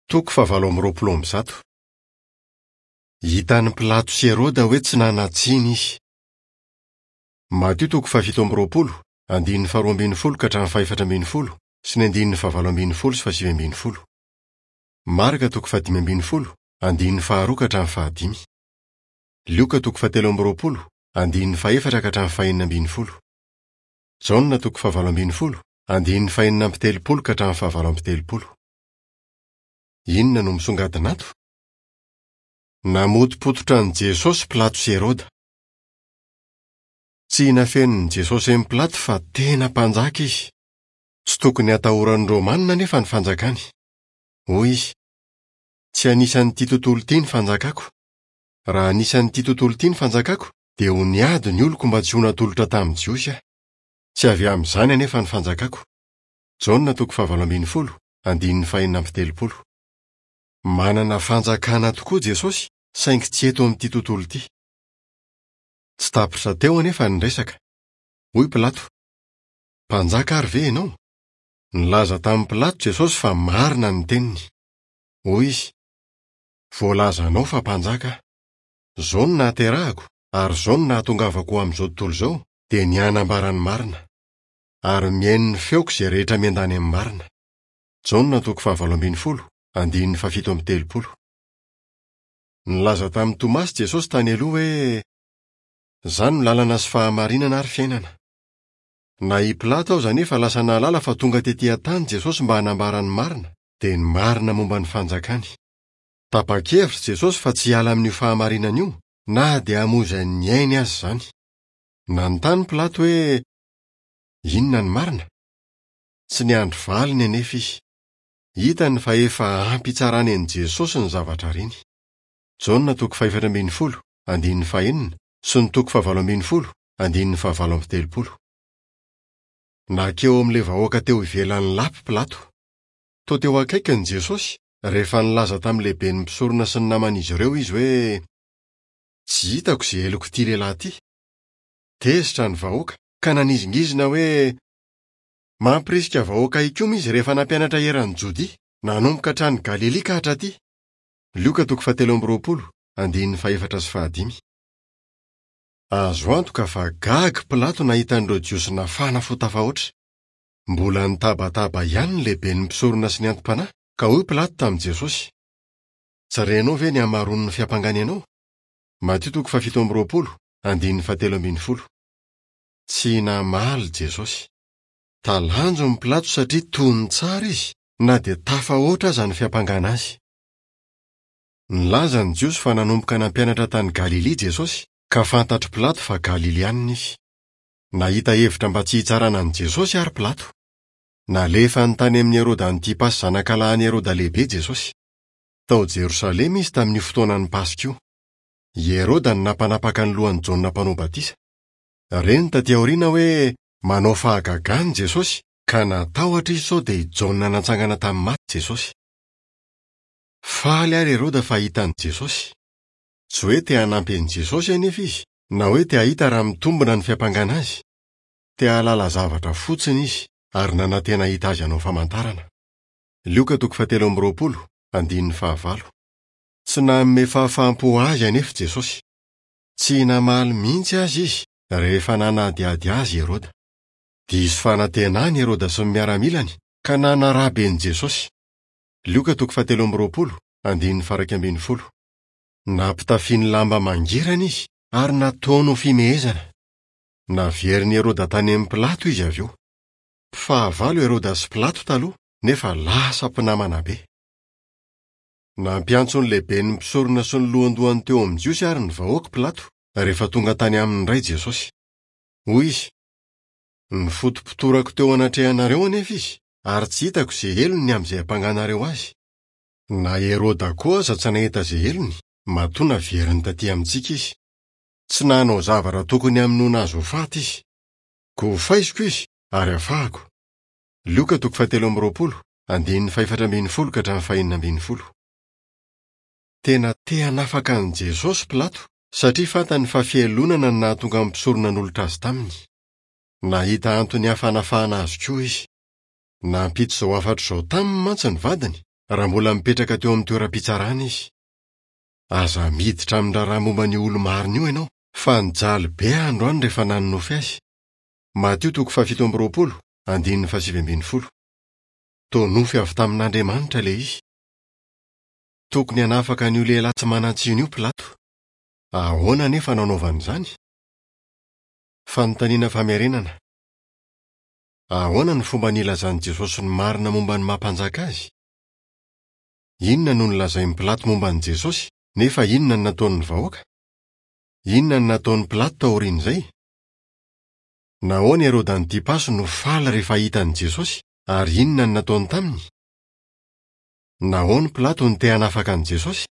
Toko fahavalo amby roapolo amby zato. Hitan'i Pilato sy Heroda hoe tsy nanan-tsiny izy. Matio toko fahafito amby roapolo, andininy faharoa ambin'ny folo ka hatramin'ny fahefatra ambin'ny folo sy ny andininy fahavalo ambin'ny folo sy fahasivy ambin'ny folo. Marka toko fahadimy ambin'ny folo, andininy faharoa ka hatramin'ny fahadimy. Lioka toko fahatelo amby roapolo, andininy fahefatra ka hatramin'ny fahenina ambin'ny folo. Jaona toko fahavalo ambin'ny folo, andininy fahenina amby telopolo ka hatramin'ny fahavalo amby telopolo. Inona no misongadina ato? Namotopototra an'i Jesosy Pilato sy Heroda. Tsy nafenin'i Jesosy an'i Pilato fa tena mpanjaka izy. Tsy tokony hatahoran'ny Romanina anefa ny fanjakany. Hoy izy, Tsy anisan'ity tontolo ity ny fanjakako. Raha anisan'ity tontolo ity ny fanjakako, dia ho niady ny oloko mba tsy ho natolotra tamin'ny Jiosy aho. Tsy avy amin'izany anefa ny fanjakako. Jaona toko fahavalo ambin'ny folo, andininy fahenina amby telopolo. Manana fanjakana tokoa Jesosy, saingy tsy eto amin'ity tontolo ity. Tsy tapitra teo anefa ny resaka. Hoy Pilato, Mpanjaka ary ve ianao? Nilaza tamin'i Pilato Jesosy fa marina ny teniny. Hoy izy, Voalazanao fa mpanjaka aho. Izao no nahaterahako, ary izao no nahatongavako ho amin'izao tontolo izao, dia ny hanambara ny marina. Ary mihaino ny feoko izay rehetra miandany amin'ny marina. Jaona toko fahavalo ambin'ny folo, andininy fahafito amby telopolo. Nilaza tamin'i Tomasy Jesosy tany aloha hoe, Izaho no lalana sy fahamarinana ary fiainana. Na i Pilato aza anefa lasa nahalala fa tonga tetỳ an-tany Jesosy mba hanambara ny marina, dia ny marina momba ny fanjakany. Tapa-kevitra Jesosy fa tsy hiala amin'io fahamarinana io na dia hamoizany ny ainy aza izany. Nanontany Pilato hoe, Inona ny marina? Tsy niandry valiny anefa izy. Hitany fa efa ampy hitsarany an'i Jesosy ny zavatra reny. Jaona toko fahefatra ambin'ny folo, andininy fahenina, sy ny toko fahavalo ambin'ny folo, andininy fahavalo amby telopolo. Nankeo amin'ilay vahoaka teo ivelan'ny lapa Pilato. Toa teo akaikiny Jesosy rehefa nilaza tamin'ny lehiben'ny mpisorona sy ny naman'izy ireo izy hoe, Tsy hitako izay helok'ity lehilahy ity. Tezitra ny vahoaka ka nanizingizina hoe, Mampirisika vahoaka hikomy izy rehefa nampianatra eran'i Jodia, nanomboka hatrany Galilia ka hatraty. Lioka toko fahatelo amby roapolo, andininy fahefatra sy fahadimy. Azo antoka fa gaga Pilato nahita an'ireo Jiosy nafana fo tafahoatra. Mbola nitabataba ihany ny lehiben'ny mpisorona sy ny anti-panahy, ka hoy Pilato tamin'i Jesosy, Tsy renao ve ny hamaroan'ny fiampangany anao? Matio toko fahafito amby roapolo, andininy fahatelo ambin'ny folo. Tsy namaly Jesosy. Talanjon'i Pilato satria tony tsara izy na dia tafahoatra aza ny fiampangana azy. Nilaza ny Jiosy fa nanomboka nampianatra tany Galilia Jesosy, ka fantatr'i Pilato fa Galilianina izy. Nahita hevitra mba tsy hitsarana an'i Jesosy àry Pilato. Nalefany tany amin'i Heroda Antipasy zanakalahin'i Heroda Lehibe Jesosy. Tao Jerosalema izy tamin'io fotoanan'ny Paska io. I Heroda no nampanapaka ny lohan'i Jaona Mpanao Batisa. Reny tatỳ aoriana hoe manao fahagagana i Jesosy, ka natahotra izy sao dia i Jaona natsangana tamin'ny maty Jesosy. Faly àry Heroda fa hita an'i Jesosy. Tsy hoe te hanampy an'i Jesosy anefa izy, na hoe te hahita raha mitombina ny fiampangana azy. Te hahalala zavatra fotsiny izy, ary nanantena hahita azy hanao famantarana. Lioka toko fahatelo amby roapolo, andininy fahavalo. Tsy nanome fahafaham-po azy anefa Jesosy. Tsy namaly mihitsy aza izy rehefa nanadihady azy Heroda. Diso fanantenana i Heroda sy ny miaramilany ka nanaraby an'i Jesosy. Lioka toko fahatelo amby roapolo, andininy faha-iraika ambin'ny folo. Nampitafiany lamba mangirana izy ary nataony ho fimehezana. Naverin'i Heroda tany amin'i Pilato izy avy eo. Mpifahavalo Heroda sy Pilato taloha nefa lasa mpinamana be. Nampiantso ny lehiben'ny mpisorona sy ny lohandohany teo amin'ny Jiosy ary ny vahoaka Pilato, rehefa tonga tany aminy indray Jesosy. Hoy izy, Nifotopotorako teo anatrehanareo anefa izy, ary tsy hitako izay helony ny amin'izay ampanganareo azy. Na Heroda koa aza tsy nahita izay helony, matoa naveriny tatỳ amintsika izy. Tsy nanao zavatra tokony hamonoana azy ho faty izy. Koa hofaiziko izy, ary hafahako. Lioka toko fahatelo amby roapolo, andininy fahefatra ambin'ny folo ka hatramin'ny fahenina ambin'ny folo. Tena te hanafaka an'i Jesosy Pilato, satria fantany fa fialonana no nahatonga ny mpisorona nanolotra azy taminy. Nahita antony hafa hanafahana azy koa izy. Nampita izao hafatra izao taminy mantsy ny vadiny. raha mbola mipetraka teo amin'ny toeram-pitsarana izy. Aza miditra amin'ny raharaha momba an'io olo-marina io ianao, fa nijaly be aho androany rehefa nanonofy azy. Matio toko fahafito amby 20, andininy fahasivy ambin'ny folo. Toa nofy avy tamin'Andriamanitra ilay izy. Tokony hanafaka an'io lehilahy tsy manan-tsiny io Pilato. Ahoana anefa no anaovany izany? Fanontaniana famerenana. Ahoana no fomba nilazan'i Jesosy ny marina momba ny maha mpanjaka azy? Inona no nolazain'i Pilato momba an'i Jesosy, nefa inona no nataon'ny vahoaka? Inona no nataon'i Pilato taorian'izay? Nahoana Heroda Antipasy no faly rehefa hita an'i Jesosy, ary inona no nataony taminy? Nahoana Pilato no te hanafaka an'i Jesosy?